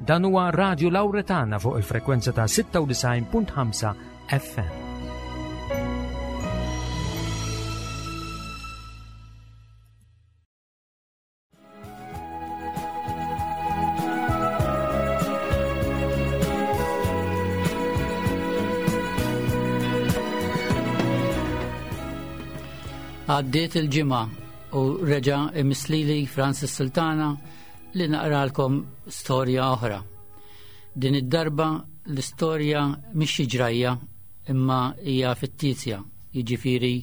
Dan huwa Radio Lauretana fuq il-frekwenza ta' 96.5 FM. Għaddiet il-ġimgħa u reġa' imislili Francis Sultana li naqralkom storja oħra. Din id-darba l-istorja mhix xi ġrajja imma hija fittizja, jiġifieri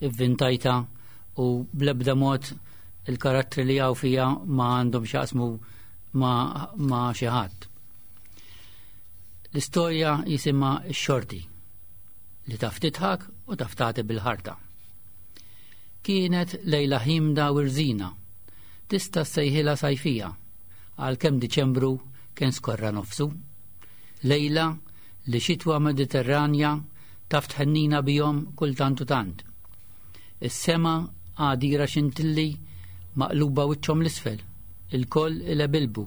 ivvintajta u bl-ebda mod il-karattri li hawn fija ma għandhom x'jaqsmu ma, ma xi ħadd. L-istorja jisimha x-xorti li taf titħak u taf tagħti bil-ħarta. Kienet lejla ħimda u rżina Tista' ssejħilha sajfija, għalkemm Diċembru kien skorra nofsu. Lejla li xitwa Mediterranja taf tħennina bihom kultant u tant. Is-sema għadira xintilli maqluba wiċċhom l-isfel, ilkoll ilebilbu,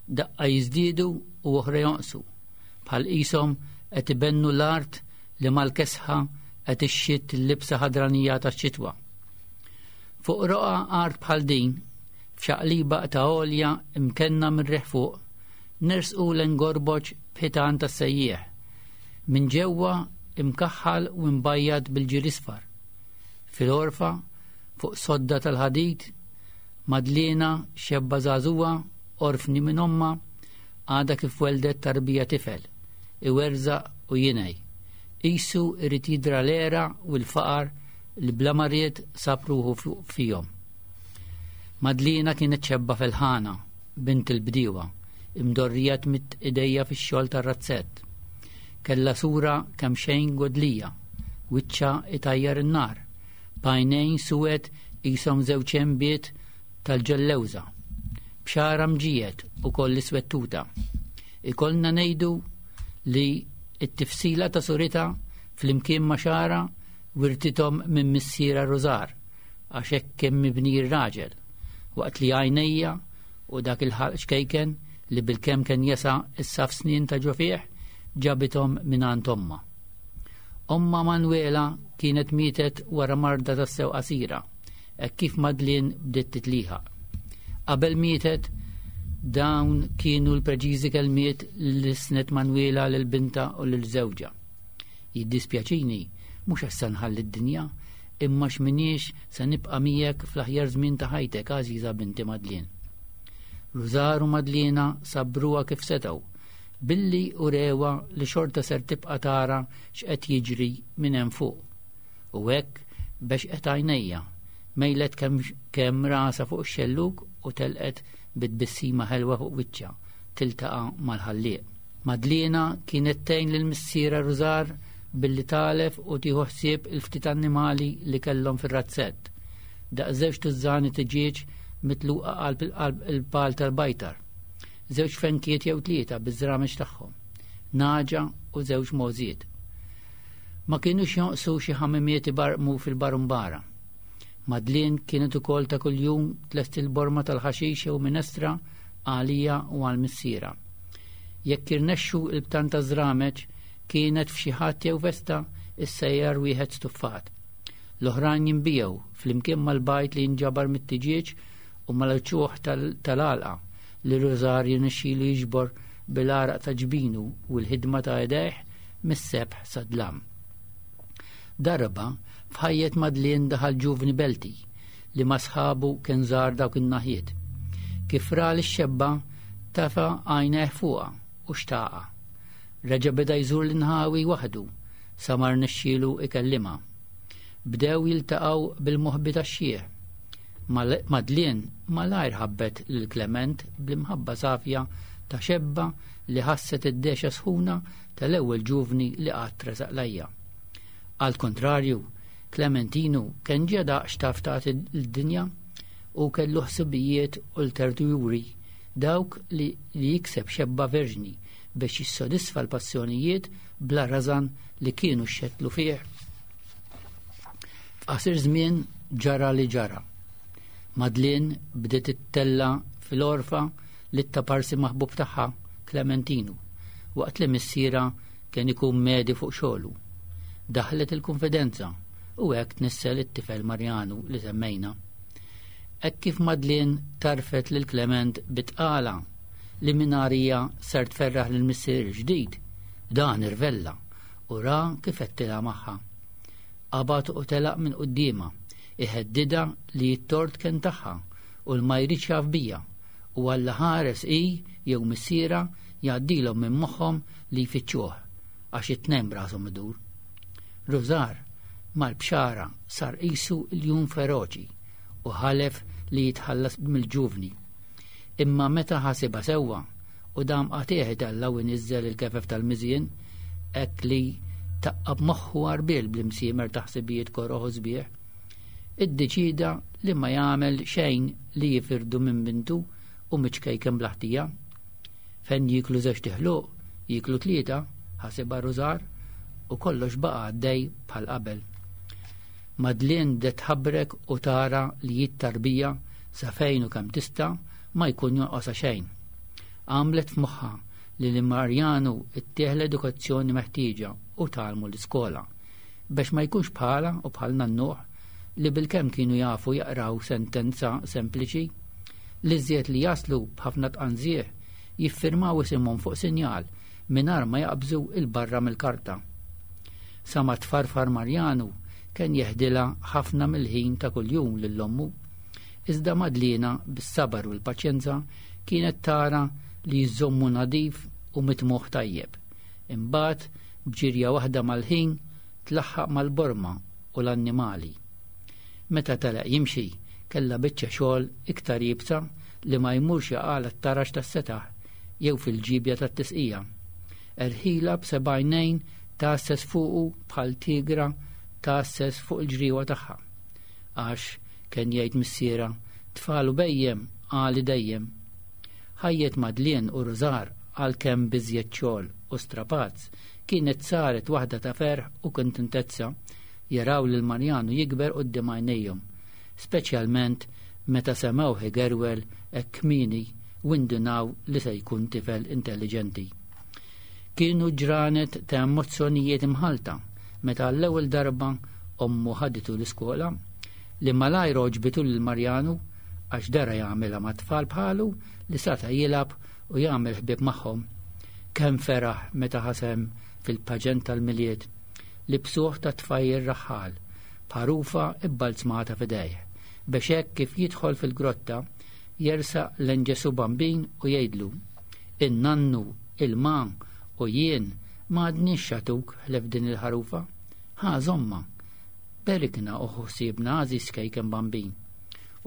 daqqa jiżdiedu u oħra jonqsu, bħal qishom qed ibennu l-art li mal-kesħa qed ixxitt il-libsa ħadranija tax-xitwa. Fuq roqgħa art bħal din, f'xaqliba ta' għolja imkenna mir-riħ fuq, nersqu l-engorboġ b'ħitan tas-sejjieħ. Minn ġewwa imkaħħal u mbajjad bil-ġir isfar. Fil-għorfa, fuq sodda tal-ħadid, Madliena xebba żagħżugħa, orfni minn ommha, għadha kif weldet tarbija tifel, iwerżaq u jingħi. Qisu irid jidra l-għera u l-faqar li bla ma ried sab ruħu fihom. Madliena kienet xebba felħana, bint il-bdiewa, imdorrija tmidd idejja fix-xogħol tar-razzett. Kellha sura kemxejn godlija, wiċċha itajjar in-nar, b'għajnejn suwed qishom żewġ għenbiet tal-ġellewża, b'xagħarha mġiegħed ukoll iswed-tuta. Ikollna ngħidu li t-tifsila ta' suritha flimkien ma' xagħarha wirtithom minn missierha Rużar, għax hekk kien mibni r-raġel, waqt li għajnejja u dak il-ħalq ċkejken li bilkemm kien jesa' s-saff snien ta' ġo fih ġabithom mingħand ommha. Ommha Manwela kienet mietet wara marda tassew qasira, hekk kif Madeleine bdiet titlieħaq. Qabel mietet, dawn kienu l-preċiżi kelmiet li lissnet Manwela lil bintha u lil żewġha. Jiddispjaċini, mhux għax se nħalli d-dinja, imma għax m'iniex se nibqa' miegħek fl-aħjar żmien ta' ħajtek, għażiża binti Madlien. Rużar u Madliena sabbruha kif setgħu, billi urewha li xorta ser tibqa' tara x'qed jiġri minn hemm fuq. U hekk bexqet għajnejha, mejlet kemm kemm rasha fuq ix-xellug u telqet bi tbissima ħelwa fuq wiċċha tiltaqa' mal-Ħallieq. Madliena kienet tgħin lil missierha Rużar billi tagħlef u tieħu ħsieb il-ftit annimali li kellhom fir-razzett. Daqs żewġ tużżani tiġieġ mitluqa qalb il-pal tal-bajtar. Żewġ fenkiet jew tlieta biż-żrameġ tagħhom. Nagħġa u żewġ mogħżiet. Ma kinux jonqsu xi ħamimiet ibarqmu fil-barumbara. Madlien kienet ukoll ta' kuljum tlesti l-borma tal-ħaxix jew minestra għalija u għal missierha. Jekk irnexxu il-btan ta' żrameġ kienet f'xi ħadd jew festa issejjar wieħed stuffat. L-oħrajn jinbiegħu flimkien mal-bajd li jinġabar mit-tiġieġ u mal-ċuħ tal-għalqa li Rużar jirnexxilu jiġbor bil-għaraq ta' ġbinu u l-ħidma ta' idejh mis-sebħ sad-dlam. Darba, f'ħajjet Madlien daħal ġuvni Belti li ma' sħabu kien żar dawk in-naħiet. Kif ra lix-xebba, tafa' għajnejh fuqha u xtaqha. Reġa' beda jżur l-inħawi waħdu sa ma rnexxielu ikellimha. Bdew jiltaqgħu bil-moħbi tax-xiħ. Madlien malajr ħabbet lil Klement bl-imħabba safja ta' xebba li ħasset id-dehxa sħuna tal-ewwel ġuvni li qatt resaq lejja. Għall-kuntrarju, Klementinu kien ġa daq x'taf tagħti l-dinja u kellu ħsibijiet ulterjuri, dawk li jikseb xebba verġni biex jissodisfa l-passjonijiet bla rażan li kienu xxettlu fih. F'qasir żmien ġara li ġara. Madlien bdiet ittella' fil-għorfa lit-taparsi maħbub tagħha. Klementinu, waqt li missierha kien ikun medi fuq xogħlu. Daħlet il-kunfidenza u hekk tnissel it-tifel Marjanu li semmejna. Hekk kif Madeleine tarfet lil Clement bit-tqala li mingħarija ser tferraħ lil missier il-ġdid, dan irvella u ra kif għedtilha magħha. Qabad u telaq minn quddiemha, iheddidha li t-tort kien tagħha u l ma jridx jaf bija u Alla ħares hi jew missierha jgħaddilhom minn moħħhom li jfittxuh għax it-tnejn b'rashom idur. Rużar mal-bxara sar qisu ljun feroċi u ħalef li jitħallas mill-ġuvni. Imma meta ħasibha sewwa u dam qatigħ itella' u jniżżel il-kefef tal-miżien hekk li taqqab moħħu għarbiel bl-imsiemer ta' ħsibijiet koroh u sbieħ, iddeċieda li ma jagħmel xejn li jifirdu minn bintu u miċ-ċkejken bla ħtija. Fejn jieklu żewġt iħluq, jieklu tlieta, ħasibha Rużar, u kollox baqa' għaddej bħal qabel. Madeleine bdiet tħabbrek u tara li hi t-tarbija sa fejn u kemm tista' ma jkun jonqosha xejn. Għamlet f'moħħha li lil Marjanu ttih l-edukazzjoni meħtieġa u tgħallmu l-iskola biex ma jkunx bħalha u bħal nannuh li bilkemm kienu jafu jaqraw sentenza sempliċi. L-iżjed li jaslu b'ħafna tqanżih jiffirmaw isimhom fuq sinjal mingħajr ma jaqbżu 'l barra mill-karta. Sa ma tfarfar Marjanu kien jeħdilha ħafna mill-ħin ta' kuljum lil ommu. Iżda Madliena bis-sabar u l-paċjenza kienet tara li jżommu nadif u mitmugħ tajjeb. Imbagħad b'ġirja waħda mal-ħin tlaħħaq mal-borma u l-annimali. Meta telaq jimxi, kellha biċċa xogħol iktar iebsa li ma jmurx jaqgħalha t-taraġ tas-setaħ jew fil-ġiebja tat-tisqija. Erħilha b'seba' għajnejn tgħasses fuqu bħal tigra tgħasses fuq il-ġriewa tagħha. Għax, kien jgħid missierha, tfal u bhejjem għali dejjem. Ħajjet Madeleine u Rużar għalkemm b'iżjed xogħol u strapazz, kienet saret waħda ta' ferħ u kuntentezza jaraw lil Marjanu jikber quddiem għajnejhom, speċjalment meta semgħuh igerwel hekk kmieni u indunaw li se jkun tifel intelliġenti. Kienu ġranet ta' emozzjonijiet imħallta meta għall-ewwel darba ommu ħaditu l-iskola, li malajr għoġbitu lil Marjanu għax dara jagħmilha ma' tfal bħalu li sata' jilgħab u jagħmel ħbieb magħhom. Kemm feraħ meta ħasem fil-paġent tal-Milied li bsuħ ta' tfajjel raħħal, b'ħarufa bbalzmata f'idejh, biex hekk kif jidħol fil-grotta jersaq lejn Ġesù Bambin u jgħidlu, In-nannu, il-ma u jien ma għadniex x'għatuk ħlief din il-ħarufa. Ħa żommha. Berikna u ħu ħsiebna għażiż kejken Bambin.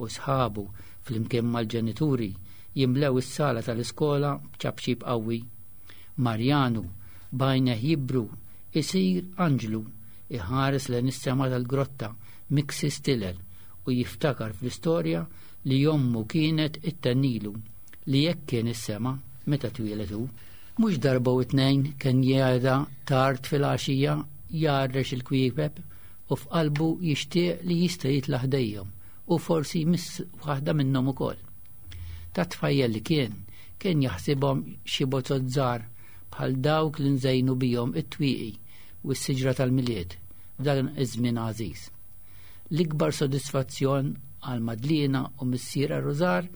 U sħabu, flimkien mal-ġenituri, jimlew is-sala tal-iskola b'ċapċip qawwi. Marjanu, b'għajnejh jibru, isir anġlu, iħares lejn is-sema tal-grotta miksi stilel u jiftakar fl-istorja li ommu kienet ittennilu li hekk kien is-sema meta twieled hu. Mhux darba u tnejn kien jgħidha tard filgħaxija jgħarrex il-kwiekeb u f'qalbu jixtieq li jista' jitla' ħdejhom u forsi jmiss waħda minnhom ukoll. Ta' tfajjel li kien, kien jaħsibhom xi bozot żgħar bħal dawk li nżejnu bihom it-twieqi u s-siġra tal-Milied f'dan iż-żmien għażiż. L-ikbar sodisfazzjon għal Madliena u missierha Rużar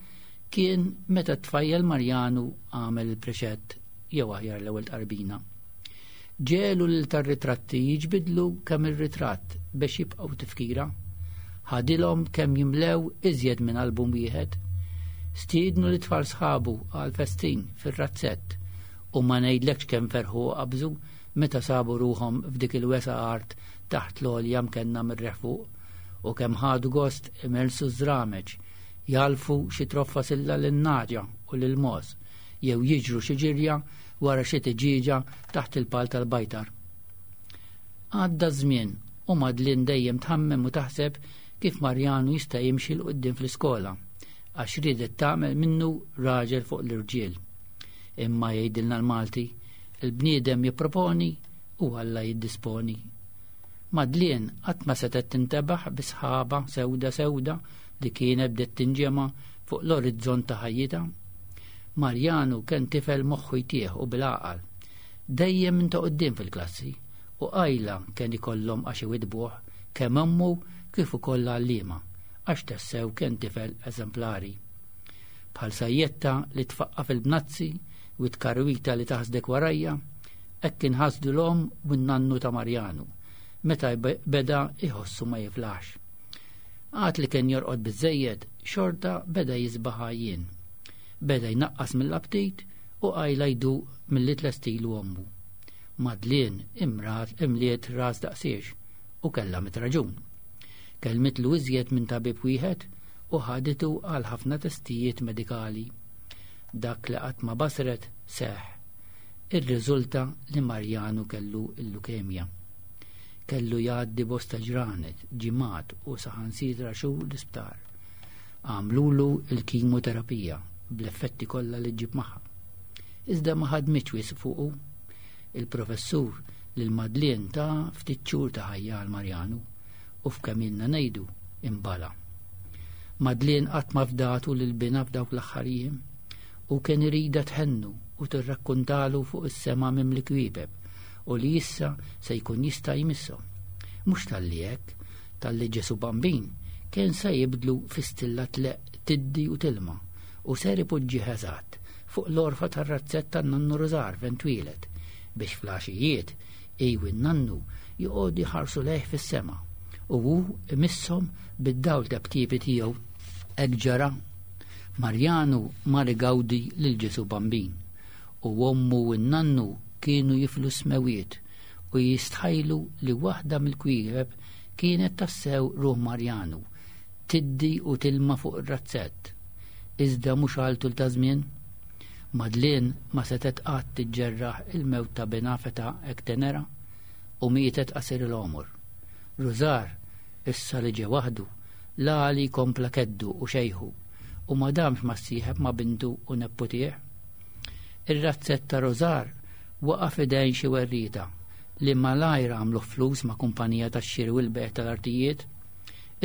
kien meta t-tfajjel Marjanu għamel il-preċett jew aħjar l-ewwel tqarbina. Ġegħlu lil tar-ritratti jiġbidlu kemm ir-ritratt biex jibqgħu tifkira. Ħadilhom kemm jimlew iżjed minn album wieħed. Stiednu lit-tfal sħabu għal festin fir-razzett u ma ngħidlekx kemm ferħu u qabżu meta sabu ruħhom f'dik il-wesgħa art taħt l-għolja mkenna mir-riħ fuq, u kemm ħadu gost imersu ż-żrameġ, jagħlfu xi troffa silla lin-nagħġa u lill-mogħoż, jew jiġru xi ġirja wara xi tiġieġa taħt il-pal tal-bajtar. Għadda ż-żmien u Madeline dejjem tħammem u taħseb kif Marjanu jista' jimxi 'l quddiem fl-iskola, għax riedet tagħmel minnu raġel fuq l-irġiel. Imma jgħidilna l-Malti, il-bniedem jipproponi u Alla jiddisponi. Madeline qatt ma setgħet tintebaħ bi sħaba sewda sewda li kienet bdiet tinġema' fuq l-orizzont ta' ħajjitha. Marjanu kien tifel moħħu jtieħ u bil-għaqal. Dejjem minn ta' quddiem fil-klassi u qajla kien ikollhom għax iwiddbuh kemm ommu kif ukoll l-għalliema għax tassew kien tifel eżemplari. Bħal sajjetta li tfaqqa' fil-bnazzi u tkarwita li taħsdek warajja, hekk inħasdu l-omm u n-nannu ta' Marjanu meta beda iħossu ma jiflaħx. Għad li kien jorqod biżżejjed, xorta beda jisbaħ għajjien. Beda jnaqqas mill-aptit u qajla jduq milli tlestilu ommu. Madlien imrat imliet ras daqsiex u kellha mit raġun. Kellmitlu iżjed minn tabib wieħed u ħaditu għal ħafna testijiet medikali. Dak li qatt ma basret seħ. Irriżulta li Marjanu kellu l-lukemja. Kellu jgħaddi bosta ġranet, ġimgħat u saħansitra xhur l-isptar. Għamlulu l-kimoterapija bl-effetti kollha li ġġib magħha. Iżda ma ħadmitx wisq fuqu. Il-professur lil Madlien ta ftit xhur ta' ħajja għal Marjanu u f'kemm ilna ngħidu imbala. Madlien qatt ma fdatu lil binha f'dawk l-aħħar jiem u kien iridha tħennu u tirrakkuntalu fuq is-sema mimli kwiebeb u li issa se jkun jista' jmisshom. Mhux talli hekk, talli Ġesù Bambin kien se jibdlu fi stilla tleqq tiddi u tilma u ser ipoġġih eżatt fuq l-għorfa tar-razzett tan-nannu Rużar fejn twieled biex fl-għaxijiet hi u n-nannu joqogħdu jħarsu lejh fis-sema u hu imisshom bid-dawl tebtiebi tiegħu. Hekk ġara. Marjanu mar igawdi lil Ġesù Bambin u ommu u n-nannu kienu jiflu s-smewiet u jistħajlu li waħda mill-kwiekeb kienet tassew ruħ Marjanu tiddi u tilma fuq ir-razzett. Iżda mhux għal tul ta' żmien. Madeleine ma setgħet qatt tiġġerraħ il-mewt ta' binha f'età hekk tenera u mietet qasir il-għomor. Rużar, issa li ġie waħdu, l-għali kompla keddu u xejħu u ma damx ma ssieħeb ma' bintu u nepputih. Ir-razzett ta' Rużar waqa' f'idejn xi werrieta li malajr għamluh flus ma' kumpanija tax-xiri u l-bejgħ tal-artijiet.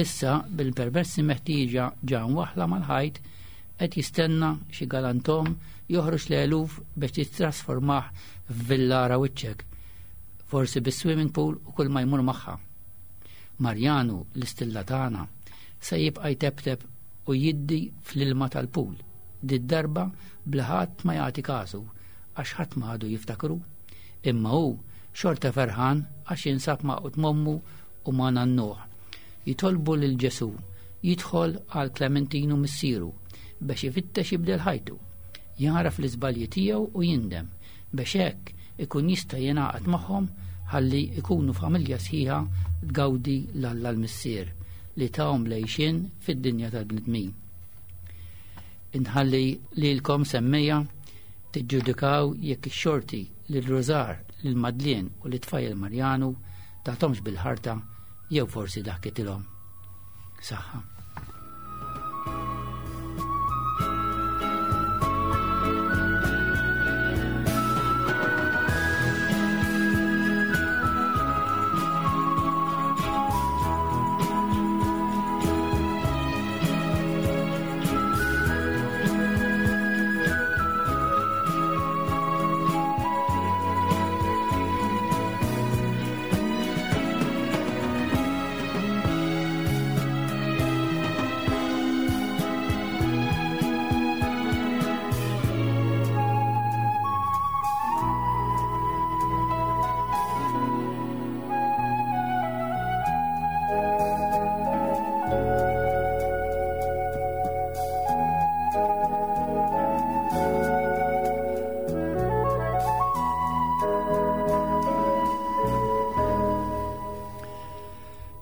Issa, bil-permessi meħtieġa ġa mwaħħla mal-ħajt, qed jistenna xi galantom joħroġ l-eluf biex jittrasformah f'villa ara wiċċek, forsi bis-swimming pool u kull ma jmur magħha. Marjanu, l-istilla tagħna, se jibqa' jteptep u jiddi fl-ilma tal-pool, did-darba bla ħadd ma jagħti kasu għax ħadd ma għadu jiftakru. Imma hu xorta ferħan għax jinsab magħqud m'ommu u ma' nannuh. Jitolbu lil Ġesù jidħol għal Klementinu missieru biex ifittex jibdel ħajtu, jagħraf l-iżbalji tiegħu u jindem biex hekk ikun jista' jingħaqad magħhom ħalli jkunu familja sħiħa tgawdi 'l Alla l-Missier li tahom l-għixien fid-dinja tal-bnedmin. Inħalli lilkom semmejja tiġġudikaw jekk ix-xorti lil Rużar, lil Madlien u lit-tfajjel Marjanu tathomx bil-ħarta jew forsi daħkitilhom. Saħħa.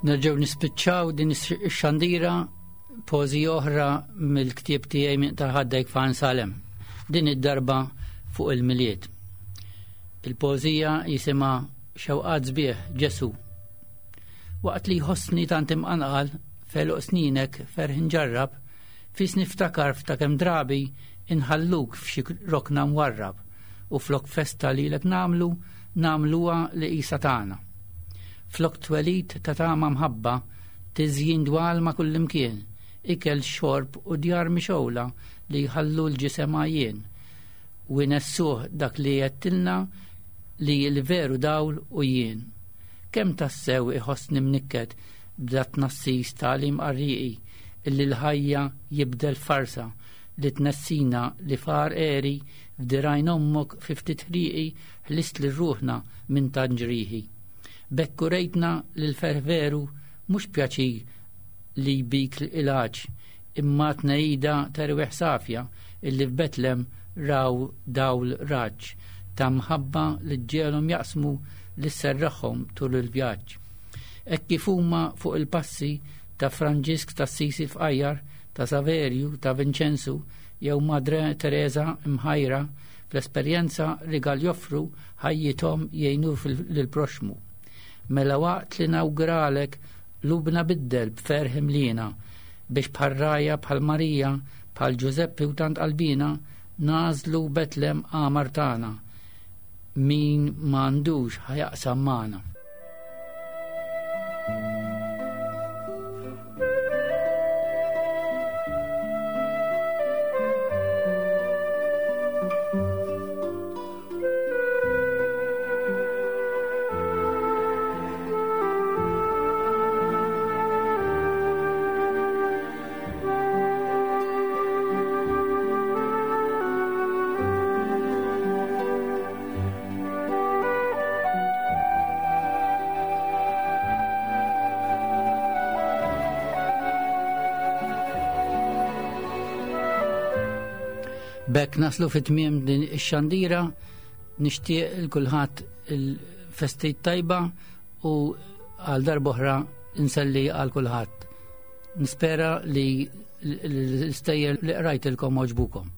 Nerġgħu nispiċċaw din ix-xandira pożi oħra mill-ktieb tiegħi minn taħaddejk fan Salem. Din id-darba fuq il-Milied. Il-pożija jisimha Xewqat sbieħ Ġesu. Waqt li jħossni tant imqanqal f'għeluq sninek ferħ inġarrab, fis niftakar f'ta' kemm drabi inħalluk f'xi rokna mwarrab u flok festa lilek nagħmlu, nagħmluha li qisha tagħna. Flok twelid ta' tama mħabba, tiżjin dwal ma' kullimkien, ikel xorb u djar mixgħula li jħallu l-ġisem għajjien. u jnessuh dak li għedtilna li l-veru dawl u jien. Kemm tassew iħossni mnikket b'da tnassis tagħlim qarrieqi illi l-ħajja jibdel f'farsa li tnessina li far għeri f'dirgħajn ommok fi ftit ħrieqi ħlist lil ruħna minn tant ġrieħi. B'hekk urejtna li l-ferħ veru mhux pjaċir li jbik l-għatx imma tnehida t'erwieħ safja illi f'Betlem raw dawl raġġ ta' mħabba li ġġegħelhom jaqsmu li sserraħhom tul il-vjaġġ. Hekk kif huma fuq il-passi ta' Franġisk t'Assisi l-Fqajjar, ta' Saverju, ta' Vinċenzu jew Madre Tereża mħajra fl-esperjenza rigal joffru ħajjithom jgħinu lill-proxxmu. Mela waqt li nawguralek Qlubna biddel b'ferħ imliena, biex bħal rgħajja bħal Marija, bħal Ġużeppi u tant qalbina, nagħżlu Betlem qamar tagħna. Min m'għandux ħa jaqsam magħna. B'hekk naslu fi tmiem din ix-xandira nixtieq il kulħadd il-festi tajba u għal darb'oħra nselli għal kulħadd. Nispera li l-istejjer li qrajtilkom għoġbukom.